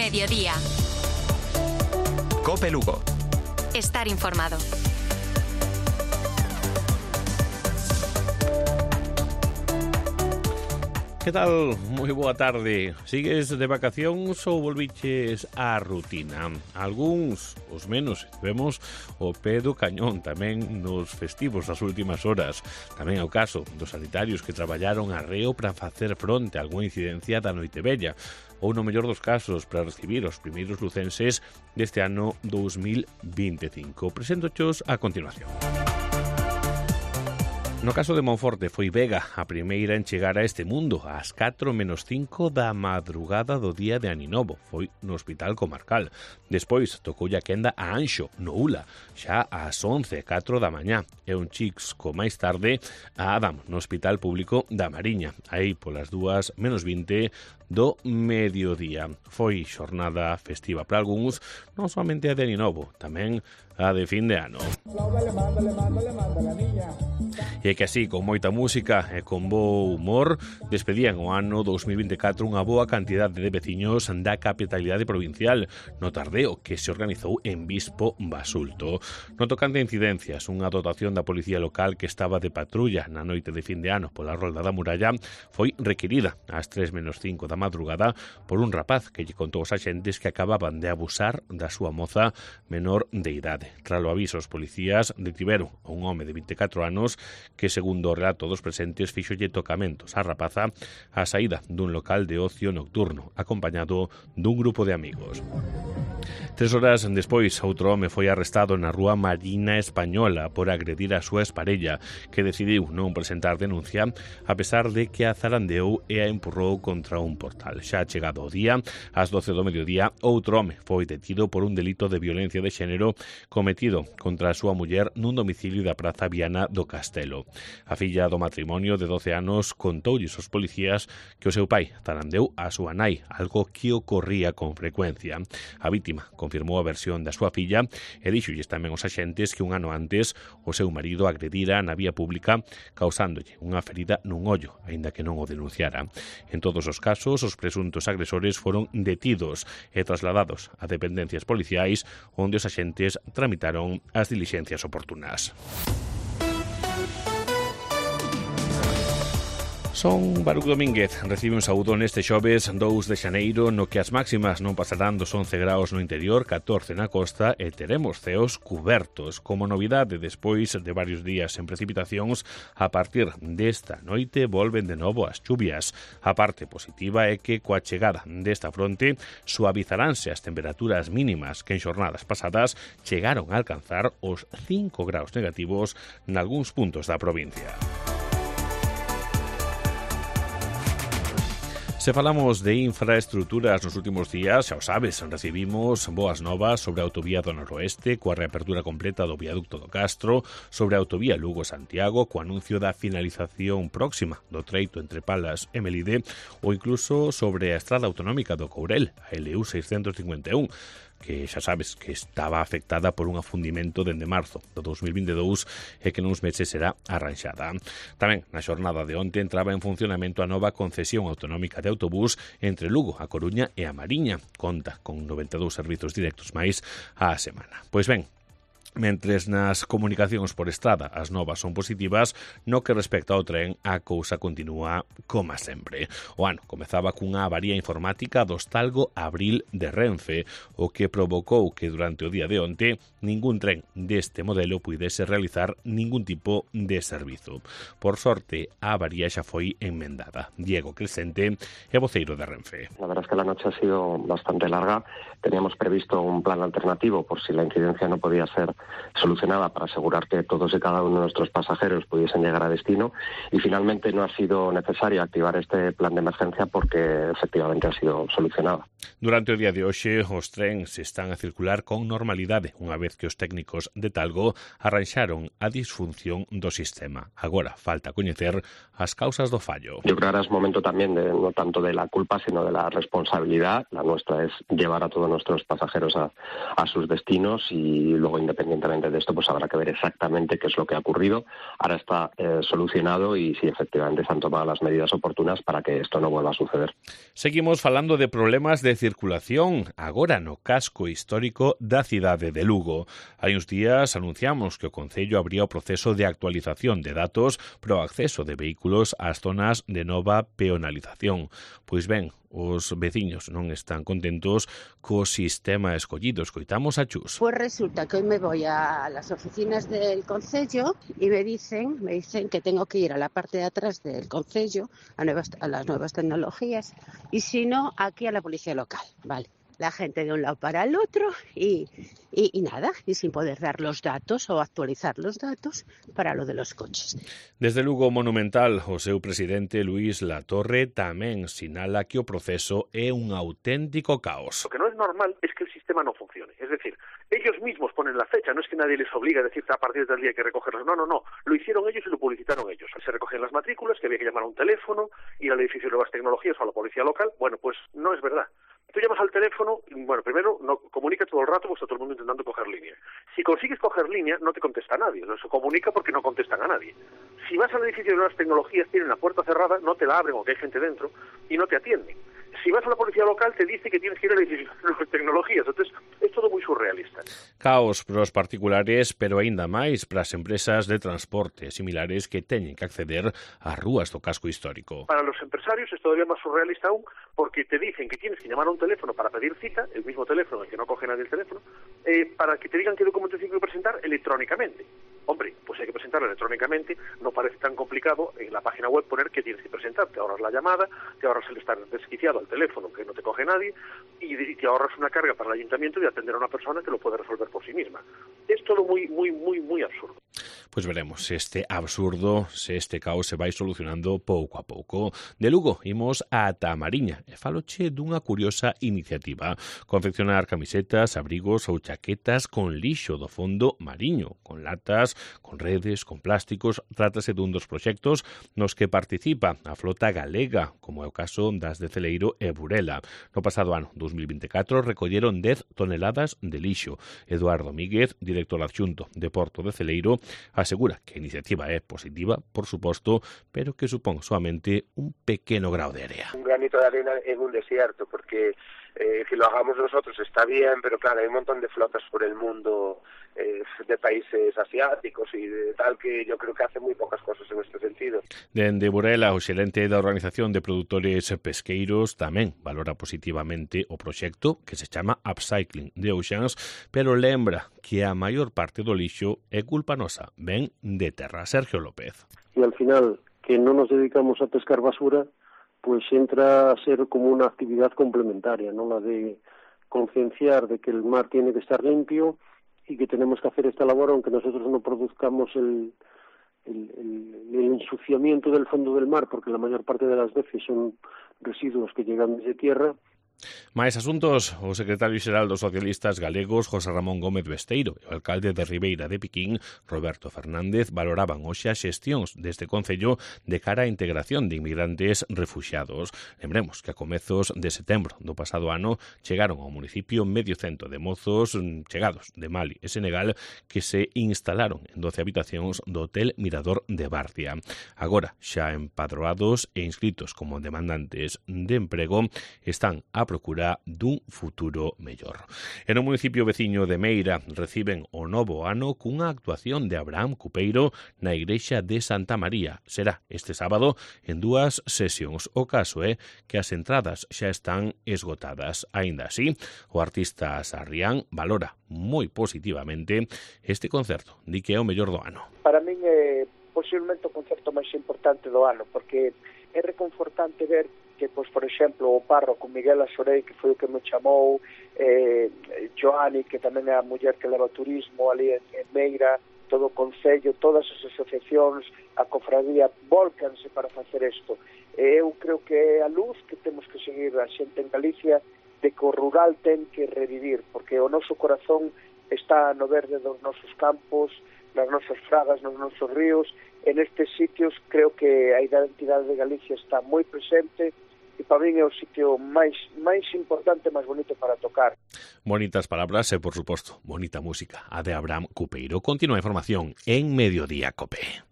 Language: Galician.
Mediodía. COPE Lugo. Estar informado. Que tal? Moi boa tarde. Sigues de vacacións ou volviches á rutina? Algúns, os menos, vemos o pé do cañón tamén nos festivos das últimas horas. Tamén é o caso dos sanitarios que traballaron arreo para facer fronte a algunha incidencia da Noitevella, ou no mellor dos casos para recibir os primeiros lucenses deste ano 2025. Preséntochos a continuación. No caso de Monforte foi Vega a primeira en chegar a este mundo ás 4:05 da madrugada do día de Aninovo. Foi no Hospital Comarcal. Despois tocoulle a quenda a Anxo, no Ula, xa ás 11:04 da mañá. E un Chixco máis tarde a Adam, no Hospital Público da Mariña, aí polas 2:20 do mediodía. Foi xornada festiva para algúns, non somente a de Aninovo, tamén a de fin de ano. E que así, con moita música e con bo humor, despedían o ano 2024 unha boa cantidade de veciños da capitalidade provincial no tardeo que se organizou en Vispo Basulto. No tocante a incidencias, unha dotación da policía local que estaba de patrulla na noite de fin de ano pola Rolda da Muralla foi requirida ás 3:05 da madrugada por un rapaz que lle contou aos axentes que acababan de abusar da súa moza menor de idade. Tras o aviso, os policías detiveron a un home de 24 anos que, segundo o relato dos presentes, fíxolle tocamentos á rapaza á saída dun local de ocio nocturno, acompañado dun grupo de amigos. 3 horas despois, outro home foi arrestado na rúa Marina Española por agredir a súa exparella, que decidiu non presentar denuncia a pesar de que a zarandeou e a empurrou contra un portal. Xa chegado o día, ás 12 do mediodía, outro home foi detido por un delito de violencia de xénero cometido contra a súa muller nun domicilio da Praza Viana do Castelo. A filla do matrimonio de 12 anos contoulles aos policías que o seu pai zarandeu a súa nai, algo que ocorría con frecuencia. A vítima confirmou a versión da súa filla e díxolles tamén aos axentes que un ano antes o seu marido agredira na vía pública causándolle unha ferida nun ollo, aínda que non o denunciara. En todos os casos, os presuntos agresores foron detidos e trasladados a dependencias policiais onde os axentes tramitaron as dilixencias oportunas. Son Baruch Domínguez, recibe un saúdo neste xoves 2 de xaneiro, no que as máximas non pasarán dos 11 graus no interior, 14 na costa e teremos ceos cubertos. Como novidade, despois de varios días en precipitacións, a partir desta noite volven de novo as chuvias. A parte positiva é que coa chegada desta fronte suavizaránse as temperaturas mínimas que en xornadas pasadas chegaron a alcanzar os 5 graus negativos nalgúns puntos da provincia. Se falamos de infraestructuras nos últimos días, xa o sabes, recibimos boas novas sobre a autovía do Noroeste, coa reapertura completa do viaducto do Castro, sobre a autovía Lugo-Santiago, co anuncio da finalización próxima do treito entre Palas e Melide, ou incluso sobre a estrada autonómica do Courel, a LU 651, que xa sabes que estaba afectada por un afundimento dende marzo do 2022 e que nuns meses será arranxada. Tamén na xornada de onte entraba en funcionamento a nova concesión autonómica de autobús entre Lugo, a Coruña e a Mariña. Conta con 92 servizos directos máis á semana. Pois ben, mentres nas comunicacións por estrada as novas son positivas, no que respecta ao tren a cousa continúa como sempre. O ano comezaba cunha avaría informática do Hostalgo Abril de Renfe, o que provocou que durante o día de onte ningún tren deste modelo puidese realizar ningún tipo de servizo. Por sorte, a avaría xa foi enmendada. Diego Crescente é voceiro de Renfe. La verdad es que la noche ha sido bastante larga. Teníamos previsto un plan alternativo por si la incidencia no podía ser solucionada para asegurar que todos y cada uno de nuestros pasajeros pudiesen llegar a destino, y finalmente no ha sido necesario activar este plan de emergencia porque efectivamente ha sido solucionada. Durante o día de hoxe, os trens están a circular con normalidade, unha vez que os técnicos de Talgo arranxaron a disfunción do sistema. Agora falta coñecer as causas do fallo. Yo creo que ahora es momento también de, no tanto de la culpa, sino de la responsabilidad. La nuestra es llevar a todos nuestros pasajeros a sus destinos y luego, independientemente independientemente de esto, pues habrá que ver exactamente qué es lo que ha ocurrido. Ahora está solucionado y si efectivamente se han tomado las medidas oportunas para que esto no vuelva a suceder. Seguimos falando de problemas de circulación, agora no casco histórico da cidade de Lugo. Hai uns días anunciamos que o Concello abría o proceso de actualización de datos para o acceso de vehículos ás zonas de nova peonalización. Pois ben, os veciños non están contentos co sistema escollido. Escoitamos a Chus. Pues resulta que hoy me voy a las oficinas del Concello y me dicen que tengo que ir a la parte de atrás del Concello, a las nuevas tecnologías, y si no, aquí a la policía local, ¿vale? La gente de un lado para el otro y nada, y sin poder dar los datos o actualizar los datos para lo de los coches. Desde Lugo Monumental, o seu presidente Luís Latorre tamén sinala que o proceso é un auténtico caos. Lo que no es normal es que el sistema no funcione. Es decir, ellos mismos ponen la fecha, no es que nadie les obliga a decir a partir del día hay que recogerlos. No. Lo hicieron ellos y lo publicitaron ellos. Se recogían las matrículas, que había que llamar a un teléfono, ir al edificio de nuevas tecnologías o a la policía local. Bueno, pues no es verdad. Tú llamas al teléfono, bueno, primero no comunica todo el rato, pues está todo el mundo intentando coger línea. Si consigues coger línea, no te contesta nadie, no se comunica porque no contestan a nadie. Si vas al edificio de nuevas tecnologías, tienen la puerta cerrada, no te la abren o que hay gente dentro y no te atienden. Si vas a la policía local, te dice que tienes que ir al edificio de nuevas tecnologías. Entonces, es todo muy surrealista. Caos para os particulares, pero aínda máis para as empresas de transporte similares que teñen que acceder ás rúas do casco histórico. Para los empresarios es todavía más surrealista aún, porque te dicen que tienes que llamar a un teléfono para pedir cita, el mismo teléfono en el que no coge nadie el teléfono, para que te digan qué documento tienes que presentar electrónicamente. Hombre, pues hay que presentarlo electrónicamente, no parece tan complicado en la página web poner qué tienes que presentar. Te ahorras la llamada, te ahorras el estar desquiciado al teléfono que no te coge nadie y te ahorras una carga para el ayuntamiento de atender a una persona que lo puede resolver por sí misma. Es todo muy absurdo. Pois veremos se este absurdo, se este caos se vai solucionando pouco a pouco. De Lugo imos ata a Mariña e faloche dunha curiosa iniciativa: confeccionar camisetas, abrigos ou chaquetas con lixo do fondo mariño, con latas, con redes, con plásticos. Trátase dun dos proxectos nos que participa a flota galega, como é o caso das de Celeiro e Burela. No pasado ano 2024 recolleron 10 toneladas de lixo. Eduardo Míguez, director adxunto de Porto de Celeiro, asegura que a iniciativa é positiva, por suposto, pero que supón solamente un pequeno grao de area. Un granito de arena en un desierto, porque que lo hagamos nosotros está bien, pero claro, hay un montón de flotas por el mundo de países asiáticos y de tal que yo creo que hace muy pocas cosas en este sentido. Dende Burela, o xerente da Organización de Produtores Pesqueiros tamén valora positivamente o proxecto que se chama Upcycling the Oceans, pero lembra que a maior parte do lixo é culpa nosa, ven de terra. Sergio López. Y al final, que no nos dedicamos a pescar basura, pues entra a ser como una actividad complementaria, ¿no? La de concienciar de que el mar tiene que estar limpio y que tenemos que hacer esta labor aunque nosotros no produzcamos el ensuciamiento del fondo del mar, porque la mayor parte de las veces son residuos que llegan desde tierra. Máis asuntos, o secretario xeral dos socialistas galegos, José Ramón Gómez Besteiro, e o alcalde de Ribeira de Piquín, Roberto Fernández, valoraban hoxe as xestións deste concello de cara á integración de inmigrantes refuxiados. Lembremos que a comezos de setembro do pasado ano chegaron ao municipio medio cento de mozos chegados de Mali e Senegal que se instalaron en 12 habitacións do Hotel Mirador de Barcia. Agora, xa empadroados e inscritos como demandantes de emprego, están a procura dun futuro mellor. En o municipio veciño de Meira reciben o novo ano cunha actuación de Abraham Cupeiro na igrexa de Santa María. Será este sábado en 2 sesións. O caso é que as entradas xa están esgotadas. Aínda así, o artista Sarrián valora moi positivamente este concerto. Di que é o mellor do ano. Para min é posiblemente o concerto máis importante do ano, porque é reconfortante ver que, pois, por exemplo, o párroco Miguel Asorei, que foi o que me chamou, Joani, que tamén é a muller que leva turismo ali en Meira, todo o Concello, todas as asociacións, a cofradía, volcanse para facer isto. Eu creo que é a luz que temos que seguir a xente en Galicia de que o rural ten que revivir, porque o noso corazón está no verde dos nosos campos, nas nosas fragas, nos nosos ríos. En estes sitios creo que a identidade de Galicia está moi presente e para min é o sitio máis importante, máis bonito para tocar. Bonitas palabras e, por suposto, bonita música. A de Abraham Cupeiro. Continúa a información en Mediodía Cope.